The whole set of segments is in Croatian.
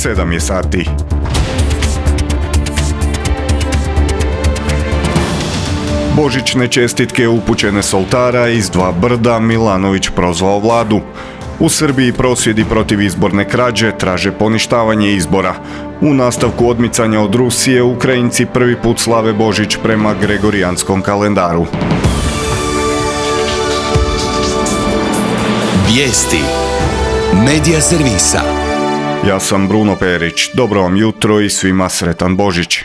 7 je sati. Božićne čestitke upućene s oltara iz Dva brda, Milanović prozvao vladu. U Srbiji prosvjedi protiv izborne krađe traže poništavanje izbora. U nastavku odmicanja od Rusije, Ukrajinci prvi put slave Božić prema gregorijanskom kalendaru. Vijesti Medija servisa. Ja sam Bruno Perić. Dobro vam jutro i svima sretan Božić.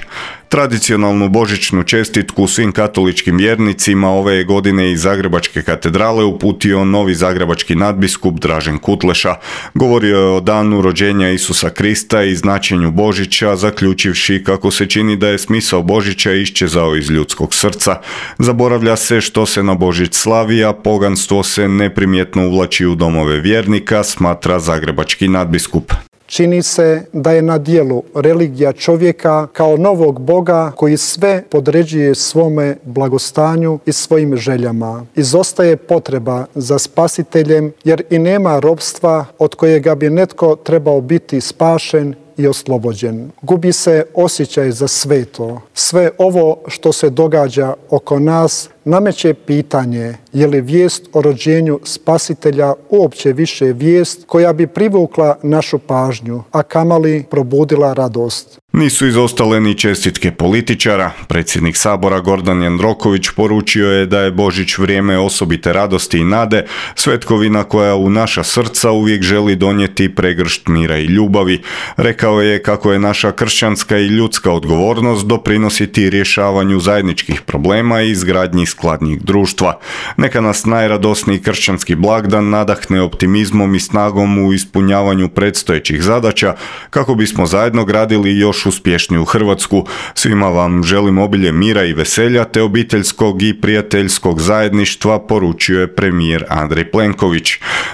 Tradicionalnu božićnu čestitku svim katoličkim vjernicima ove je godine iz Zagrebačke katedrale uputio novi zagrebački nadbiskup Dražen Kutleša. Govorio je o danu rođenja Isusa Krista i značenju Božića, zaključivši kako se čini da je smisao Božića iščezao iz ljudskog srca. Zaboravlja se što se na Božić slavi, a poganstvo se neprimjetno uvlači u domove vjernika, smatra zagrebački nadbiskup. Čini se da je na djelu religija čovjeka kao novog Boga koji sve podređuje svome blagostanju i svojim željama. Izostaje potreba za spasiteljem jer i nema ropstva od kojega bi netko trebao biti spašen i oslobođen. Gubi se osjećaj za sveto. Sve ovo što se događa oko nas nameće pitanje je li vijest o rođenju spasitelja uopće više vijest koja bi privukla našu pažnju, a kamoli probudila radost. Nisu izostale ni čestitke političara. Predsjednik Sabora Gordan Jandroković poručio je da je Božić vrijeme osobite radosti i nade, svetkovina koja u naša srca uvijek želi donijeti pregršt mira i ljubavi. Rekao je kako je naša kršćanska i ljudska odgovornost doprinositi rješavanju zajedničkih problema i izgradnji skladnijeg društva. Neka nas najradosniji kršćanski blagdan nadahne optimizmom i snagom u ispunjavanju predstojećih zadaća kako bismo zajedno gradili još uspješniju Hrvatsku. Svima vam želim obilje mira i veselja te obiteljskog i prijateljskog zajedništva, poručio je premijer Andrej Plenković.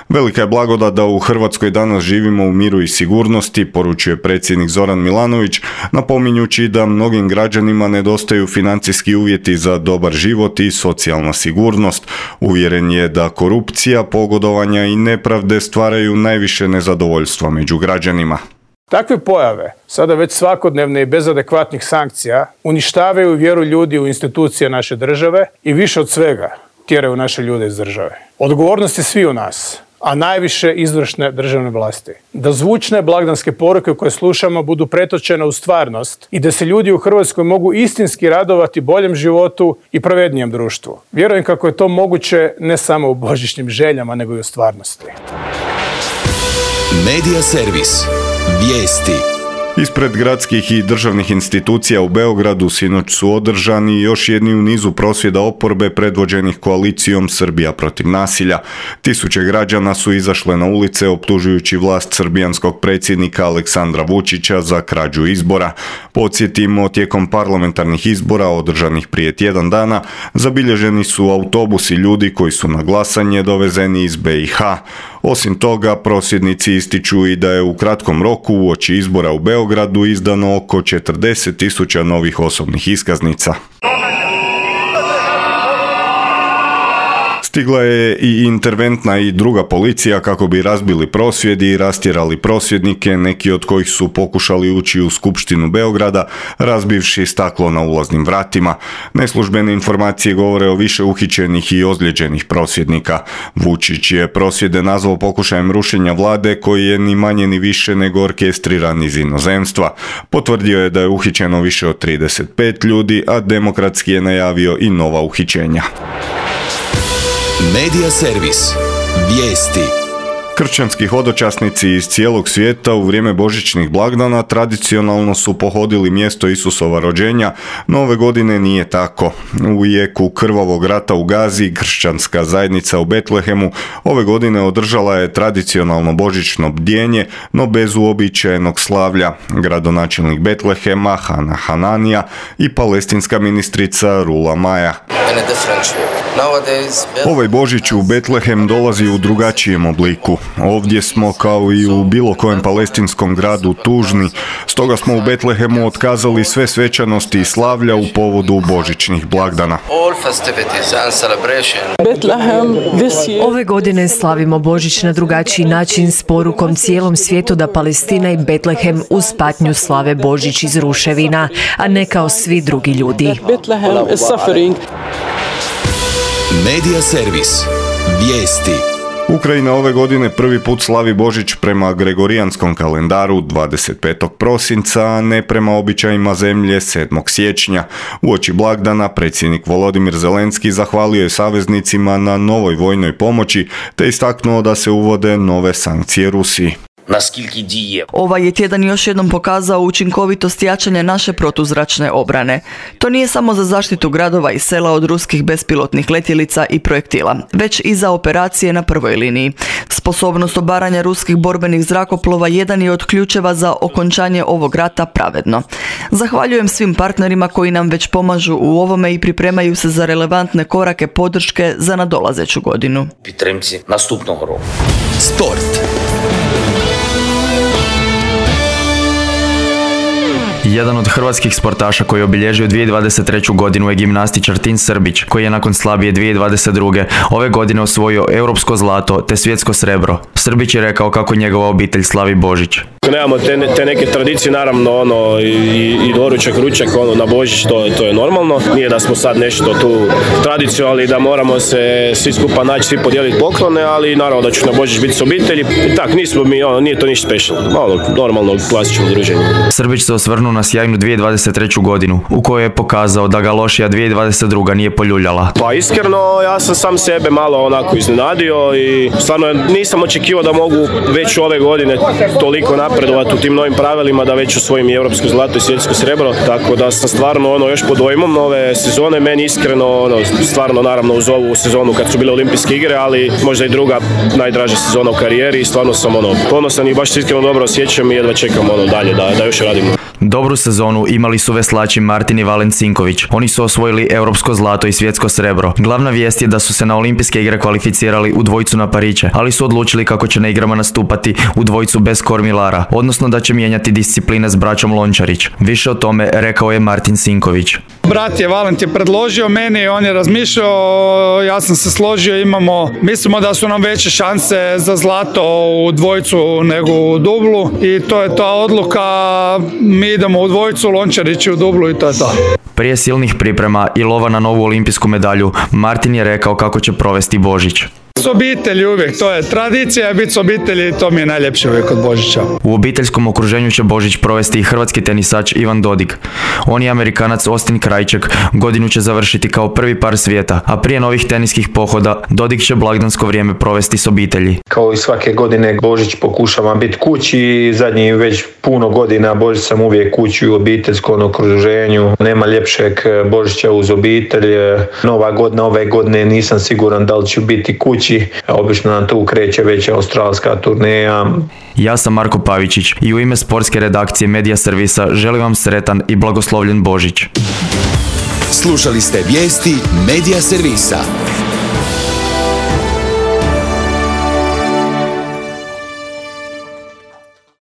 Velika je blagodat da u Hrvatskoj danas živimo u miru i sigurnosti, poručuje predsjednik Zoran Milanović, napominjući da mnogim građanima nedostaju financijski uvjeti za dobar život i socijalna sigurnost. Uvjeren je da korupcija, pogodovanja i nepravde stvaraju najviše nezadovoljstva među građanima. Takve pojave, sada već svakodnevne i bez adekvatnih sankcija, uništavaju vjeru ljudi u institucije naše države i više od svega tjeraju naše ljude iz države. Odgovornost je svi u nas, a najviše izvršne državne vlasti. Da zvučne blagdanske poruke koje slušamo budu pretočene u stvarnost i da se ljudi u Hrvatskoj mogu istinski radovati boljem životu i pravednijem društvu. Vjerujem kako je to moguće ne samo u božićnim željama, nego i u stvarnosti. Medija servis. Vijesti. Ispred gradskih i državnih institucija u Beogradu sinoć su održani još jedni u nizu prosvjeda oporbe predvođenih koalicijom Srbija protiv nasilja. Tisuće građana su izašle na ulice optužujući vlast srbijanskog predsjednika Aleksandra Vučića za krađu izbora. Podsjetimo, tijekom parlamentarnih izbora održanih prije tjedan dana zabilježeni su autobusi ljudi koji su na glasanje dovezeni iz BiH. Osim toga, prosvjednici ističu i da je u kratkom roku uoči izbora u Beogradu izdano oko 40.000 novih osobnih iskaznica. Stigla je i interventna i druga policija kako bi razbili prosvjedi i rastjerali prosvjednike, neki od kojih su pokušali ući u Skupštinu Beograda, razbivši staklo na ulaznim vratima. Neslužbene informacije govore o više uhićenih i ozlijeđenih prosvjednika. Vučić je prosvjede nazvao pokušajem rušenja vlade koji je ni manje ni više nego orkestriran iz inozemstva. Potvrdio je da je uhićeno više od 35 ljudi, a Demokratski je najavio i nova uhićenja. Medija servis. Vijesti. Kršćanski hodočasnici iz cijelog svijeta u vrijeme božićnih blagdana tradicionalno su pohodili mjesto Isusova rođenja, no ove godine nije tako. U jeku krvavog rata u Gazi, kršćanska zajednica u Betlehemu ove godine održala je tradicionalno božićno bdjenje, no bez uobičajenog slavlja. Gradonačelnik Betlehema Hana Hananija i palestinska ministrica Rula Maja. Ovaj Božić u Betlehem dolazi u drugačijem obliku. Ovdje smo kao i u bilo kojem palestinskom gradu tužni, stoga smo u Betlehemu otkazali sve svečanosti i slavlja u povodu božićnih blagdana. Ove godine slavimo Božić na drugačiji način s porukom cijelom svijetu da Palestina i Betlehem uz patnju slave Božić iz ruševina, a ne kao svi drugi ljudi. Medija servis. Vijesti. Ukrajina ove godine prvi put slavi Božić prema gregorijanskom kalendaru 25. prosinca, a ne prema običajima zemlje 7. siječnja. Uoči blagdana predsjednik Volodimir Zelenski zahvalio je saveznicima na novoj vojnoj pomoći te istaknuo da se uvode nove sankcije Rusiji. Ovaj je tjedan još jednom pokazao učinkovitost jačanja naše protuzračne obrane. To nije samo za zaštitu gradova i sela od ruskih bespilotnih letjelica i projektila, već i za operacije na prvoj liniji. Sposobnost obaranja ruskih borbenih zrakoplova jedan je od ključeva za okončanje ovog rata pravedno. Zahvaljujem svim partnerima koji nam već pomažu u ovome i pripremaju se za relevantne korake podrške za nadolazeću godinu. Sport. Jedan od hrvatskih sportaša koji je obilježio 2023. godinu je gimnastičar Tin Srbić, koji je nakon slabije 2022. ove godine osvojio europsko zlato te svjetsko srebro. Srbić je rekao kako njegova obitelj slavi Božić. Nemamo te neke tradicije, naravno i doručak, ručak na Božić, to je normalno. Nije da smo sad nešto tu tradiciju, ali da moramo se svi skupa naći, svi podijeliti poklone, ali naravno da ću na Božić biti s obitelji. Tak, nismo mi, nije to ništa special. Normalno, klasično druženje. Srbić se osvrnuo na sjajnu 2023. godinu, u kojoj je pokazao da ga lošija 2022. nije poljuljala. Pa iskreno, ja sam sam sebe malo onako iznenadio i stvarno nisam očekivao da mogu već ove godine toliko napredovati u tim novim pravilima, da već osvojim i europsko zlato i svjetsko srebro, tako da sam stvarno još pod dojmom ove sezone. Meni iskreno, stvarno naravno uz ovu sezonu kad su bile olimpijske igre, ali možda i druga najdraža sezona u karijeri i stvarno sam ponosan i baš se iskreno dobro osjećam i jedva čekam dalje da još radim. Dobru sezonu imali su veslači Martin i Valen Cinković. Oni su osvojili europsko zlato i svjetsko srebro. Glavna vijest je da su se na olimpijske igre kvalificirali u dvojicu na pariće, ali su odlučili kako će na igrama nastupati u dvojicu bez kormilara, odnosno da će mijenjati discipline s braćom Lončarić. Više o tome rekao je Martin Cinković. Brat je Valent je predložio meni, on je razmišljao, ja sam se složio, mislimo da su nam veće šanse za zlato u dvojicu nego u dublu i to je ta odluka, mi idemo u dvojicu, Lončarić u dublu i to je to. Prije silnih priprema i lova na novu olimpijsku medalju, Martin je rekao kako će provesti Božić. S obitelji uvijek, to je tradicija, biti s obitelji, to mi je najljepše uvijek od Božića. U obiteljskom okruženju će Božić provesti i hrvatski tenisač Ivan Dodig. On i Amerikanac Austin Krajček godinu će završiti kao prvi par svijeta, a prije novih teniskih pohoda Dodig će blagdansko vrijeme provesti s obitelji. Kao i svake godine Božić pokušavam biti kući, zadnji već puno godina Božić sam uvijek kući u obiteljskom okruženju. Nema ljepšeg Božića uz obitelj. Nova godina, ove godine nisam siguran da li ću biti kući. Obično nam tu kreće već australska turneja. Ja sam Marko Pavičić i u ime sportske redakcije Medija servisa želim vam sretan i blagoslovljen Božić. Slušali ste vijesti Medija servisa.